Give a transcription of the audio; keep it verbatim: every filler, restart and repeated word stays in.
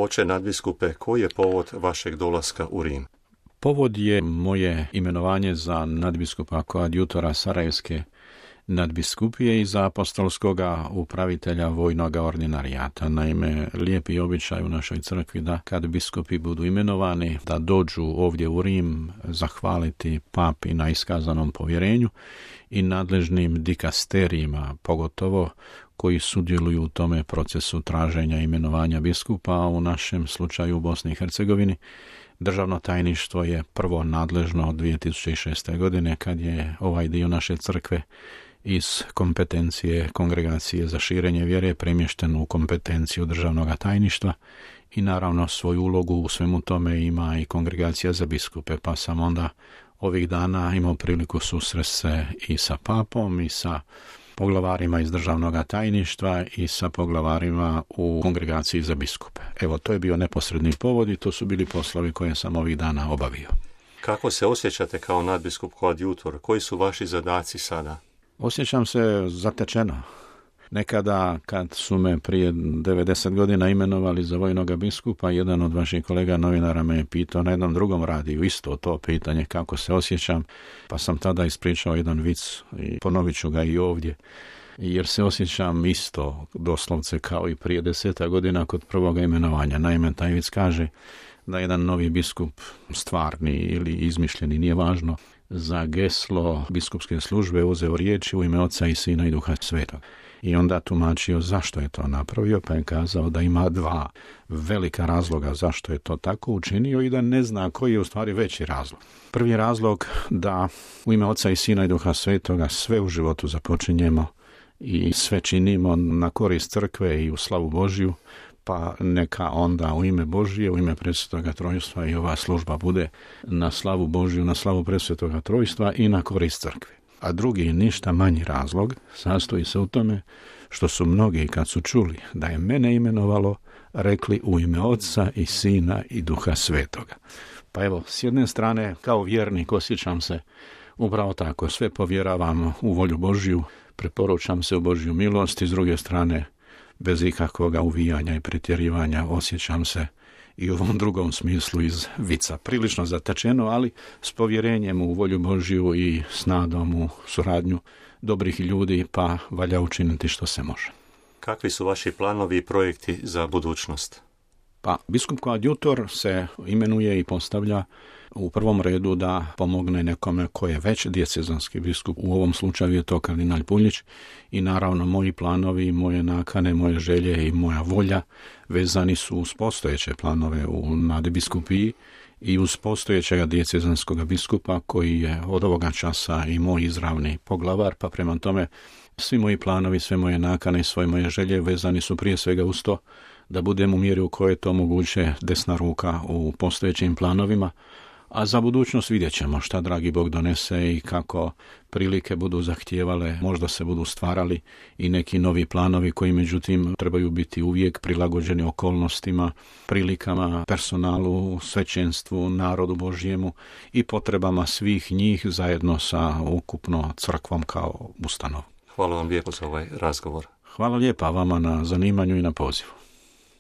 Oče nadbiskupe, koji je povod vašeg dolaska u Rim? Povod je moje imenovanje za nadbiskupa koadjutora Sarajevske nadbiskupije i za apostolskoga upravitelja vojnog ordinarijata. Naime, lijepi običaj u našoj crkvi da kad biskupi budu imenovani, da dođu ovdje u Rim zahvaliti papi na iskazanom povjerenju i nadležnim dikasterijima, pogotovo koji sudjeluju u tome procesu traženja imenovanja biskupa, a u našem slučaju u Bosni i Hercegovini Državno tajništvo je prvo nadležno od dvije tisuće šeste. godine kad je ovaj dio naše crkve iz kompetencije Kongregacije za širenje vjere premješten u kompetenciju Državnog tajništva i naravno svoju ulogu u svemu tome ima i Kongregacija za biskupe, pa sam onda ovih dana imao priliku susresti se i sa papom i sa poglavarima iz Državnog tajništva i sa poglavarima u Kongregaciji za biskupe. Evo, to je bio neposredni povod i to su bili poslovi koje sam ovih dana obavio. Kako se osjećate kao nadbiskup koadjutor? Koji su vaši zadaci sada? Osjećam se zatečeno. Nekada kad su me prije devedeset godina imenovali za vojnog biskupa, jedan od vaših kolega novinara me je pitao na jednom drugom radiju isto to pitanje kako se osjećam, pa sam tada ispričao jedan vic i ponovit ću ga i ovdje, jer se osjećam isto doslovce kao i prije deseta godina kod prvoga imenovanja. Naime, taj vic kaže da jedan novi biskup, stvarni ili izmišljeni, nije važno, za geslo biskupske službe uzeo riječi u ime Oca i Sina i Duha Svetog. I onda tumačio zašto je to napravio, pa je kazao da ima dva velika razloga zašto je to tako učinio i da ne zna koji je u stvari veći razlog. Prvi razlog da u ime Oca i Sina i Duha Svetoga sve u životu započinjemo i sve činimo na korist crkve i u slavu Božju, pa neka onda u ime Božije, u ime Presvetoga Trojstva i ova služba bude na slavu Božju, na slavu Presvetoga Trojstva i na korist crkve. A drugi, ništa manji razlog, sastoji se u tome što su mnogi kad su čuli da je mene imenovalo, rekli u ime Oca i Sina i Duha Svetoga. Pa evo, s jedne strane, kao vjernik osjećam se upravo tako, sve povjeravam u volju Božju, preporučam se u Božju milost i s druge strane, bez ikakvog uvijanja i pretjerivanja osjećam se i u ovom drugom smislu iz vica. Prilično zatečeno, ali s povjerenjem u volju Božju i s nadom u suradnju dobrih ljudi, pa valja učiniti što se može. Kakvi su vaši planovi i projekti za budućnost? Pa, biskup koadjutor se imenuje i postavlja u prvom redu da pomogne nekome ko je već dijecezanski biskup. U ovom slučaju je to kardinal Puljić i naravno moji planovi, moje nakane, moje želje i moja volja vezani su uz postojeće planove u nadbiskupiji i uz postojećega dijecezanskog biskupa koji je od ovoga časa i moj izravni poglavar, pa prema tome svi moji planovi, sve moje nakane i svoje moje želje vezani su prije svega uz to da budem u mjeri u kojoj je to moguće desna ruka u postojećim planovima, a za budućnost vidjet ćemo šta dragi Bog donese i kako prilike budu zahtijevale, možda se budu stvarali i neki novi planovi koji međutim trebaju biti uvijek prilagođeni okolnostima, prilikama, personalu, svećenstvu, narodu Božjemu i potrebama svih njih zajedno sa ukupno crkvom kao ustanovom. Hvala vam lijepo za ovaj razgovor. Hvala lijepa vama na zanimanju i na pozivu.